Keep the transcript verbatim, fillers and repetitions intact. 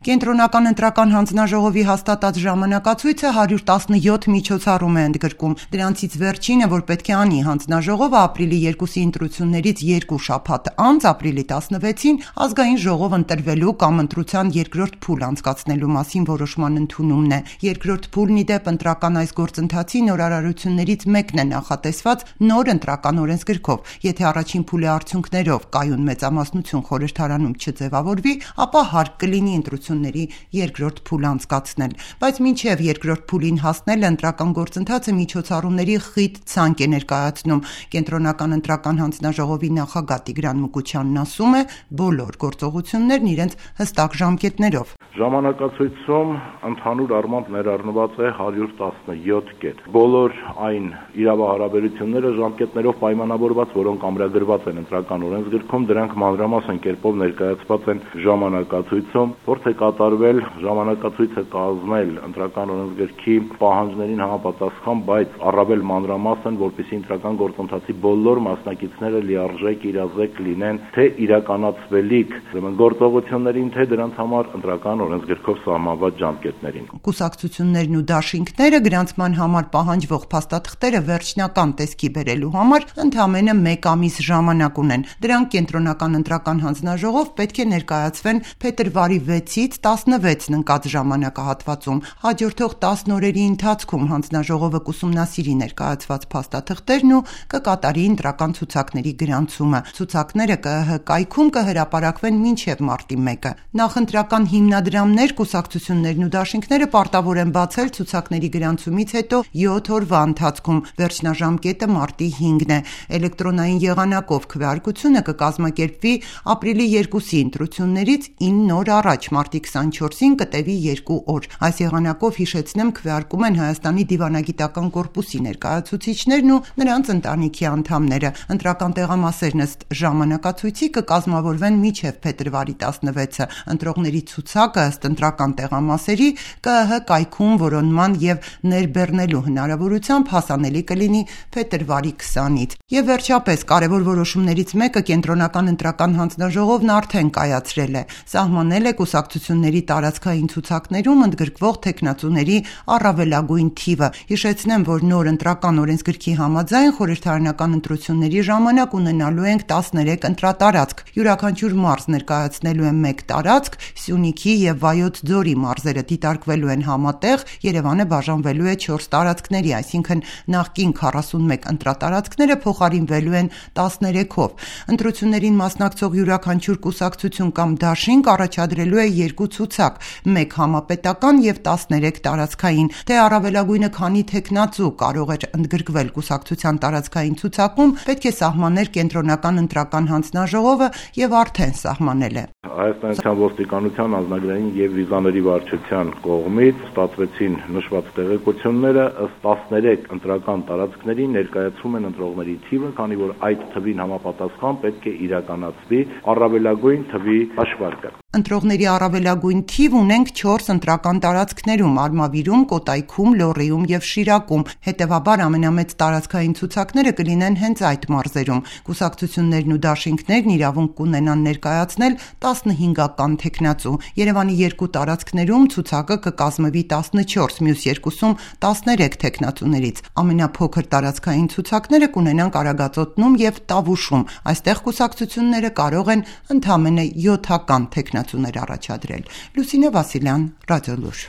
Կենտրոնական ընտրական հանձնաժողովի հաստատած ժամանակացույցը հարյուր տասնյոթ միջոցառում է ընդգրկում։ Դրանցից վերջինը, որ պետք է անի հանձնաժողովը ապրիլի երկուսի ընտրություններից երկու շաբաթ անց, ապրիլի տասնվեցին, ազգային ժողով ընտրվելու կամ ընտրության երկրորդ փուլ անցկացնելու մասին որոշման ընդունումն է։ Երկրորդ փուլն ի դեպ ընտրական այս գործընթացի նորարարություններից մեկն է նախատեսված նոր ընտրական օրենսգրքով։ Եթե առաջին փուլի արդյունքներով կայուն մեծամասնություն խորհրդարանում չձևավորվի, ապա հարկ կլինի ընտրությունների երկրորդ փուլ անցկացնել, բայց մինչև երկրորդ փուլին հասնել ընտրական գործընթացը միջոցառումների խիտ ցանկ է ներկայացնում։ Կենտրոնական ընտրական հանձնաժողովի նախագահ Տիգրան Մուկուչյանն ասում է, բոլոր գործողություններն իրենց հստակ ժամկետներով։ Ժամանակացույցում ընդհանուր առմամբ ներառնված է հարյուր տասնյոթ կետ։ Բոլոր այն իրավահարաբերությունները ժամկետներով պայմանավորված, որոնք ամրագրված են ընտրական օրենսգրքում, դրանք մանրամասն կերպով ներկայացված են ժամանակացույցում։ Փորձ է կատարվել ժամանակացույցը կազմել ընտրական օրենսգրքի պահանջներին համապատասխան, բայց առավել մանրամասն, որպեսզի ընտրական գործընթացի բոլոր մասնակիցները լիարժեք իրազեկ լինեն թե իրականացվելիք գործողություններին, թե դրանց համար ընտրական օրենսգրքով սահմանված ժամկետներին։ Կուսակցություններն ու դաշինքները գրանցման համար պահանջվող փաստաթղթերը վերջնական տեսքի բերելու համար ընդամենը մեկ ամիս ժամանակ ունեն։ Դրանք կենտրոնական ընտրական հանձնաժողով պետք է ներկայացվեն փետրվարի վեցից տասնվեցն ընկած ժամանակահատվածում։ Հաջորդող տասն օրերի ընթացքում հանձնաժողովը կուսումնասիրի ներկայացված փաստաթղթերն ու կկատարի ընտրական ցուցակների գրանցումը։ Ցուցակները ԿԸՀ կայքում կհրապարակվեն մինչև մարտի մեկը։ Նախընտրական հիմնադրամներ, կուսակցություններն ու դաշինքները պարտավոր են բացել ցուցակների գրանցումից հետո յոթ օրվա ընթացքում։ Վերջնաժամկետը մարտի հինգն է։ Էլեկտրոնային եղանակով քվեարկությունը կկազմակերպվի ապրիլի երկուսի ընտրություններից ինը օր առաջ, մարտի քսանչորսին կտևի երկու օր։ Այս եղանակով, հիշեցնեմ, քվեարկում են Հայաստանի դիվանագիտական կորպուսի ներկայացուցիչներն ու նրանց ընտանիքի անդամները։ Ընտրական տեղամասերն ըստ ժամանակացույցի կկազմավորվեն մինչև փետրվարի տասնվեցը։ Ընտրողների ցուցակը ըստ ընտրական տեղամասերի ԿԸՀ կայքում որոնման եւ ներբեռնելու հնարավորությամբ հասանելի կլինի փետրվարի քսանից։ Եվ վերջապես կարևոր որոշումներից մեկը կենտրոնական ընտրական հանձնաժողովն արդեն կայացրել է։ Սահմանել է կուսակցությունների տարածքային ցուցակներում ընդգրկվող թեկնածուների առավելագույն թիվը։ Հիշեցնեմ, որ նոր ընտրական օրենսգրքի համաձայն խորհրդարանական ընտրությունների ժամանակ ունենալու ենք տասներեք ընտրատարածք։ Յուրաքանչյուր մարզ ներկայացնելու է մեկ տարածք, Սյունիքի եւ Վայոց ձորի մարզերը դիտարկվելու են համատեղ, Երևանը բաժանվելու է չորս տարածքների, այսինքն նախկին քառասունմեկ ընտրատարածքները փոխարինվելու են տասներեքով։ Ընտրություններին մասնակցող յուրաքանչյուր կուսակցություն կամ դաշինք առաջադրելու է երկու ցուցակ, մեկ համապետական եւ տասներեք տարածքային։ Թե առավելագույնը քանի թեկնածու կարող էր ընդգրկվել կուսակցության տարածքային ցուցակում, պետք է սահմաներ կենտրոնական ընտրական հանձնաժողովը եւ արդեն սահմանել է։ Հայաստանյան ոստիկանության ազնագրային եւ վիզաների վարչության կողմից ստացվեցին նշված տեղեկությունները, ըստ տասներեք ընտրական տարածքների ներկայացում են ընտրողների թիվը, քանի որ այդ թվին համապատասխան պետք է իրականացվի առավելագույն թվի հաշվարկը։ Ընտրողների առավելագույն թիվ ունենք չորս ընտրական տարածքներում՝ Արմավիրում, Կոտայքում, Լոռիում եւ Շիրակում։ Հետևաբար ամենամեծ տարածքային ցուցակները կլինեն հենց այդ մարզերում։ Կուսակցություններն ու դաշինքներն իրավունք կունենան ներկայացնել տասնհինգական թեկնածու։ Երևանի երկու տարածքներում ցուցակը կկազմվի տասնչորս, մյուս երկուսում տասներեք թեկնածուներից։ Ամենափոքր տարածքային ցուցակները կունենան Կարագածոտնում եւ Տավուշում։ Այստեղ կուսակցությունները կարող են ընդամենը յոթական թեկնածուներ առաջադրել։ Լուսինե Վասիլյան, Ռադիոլուր։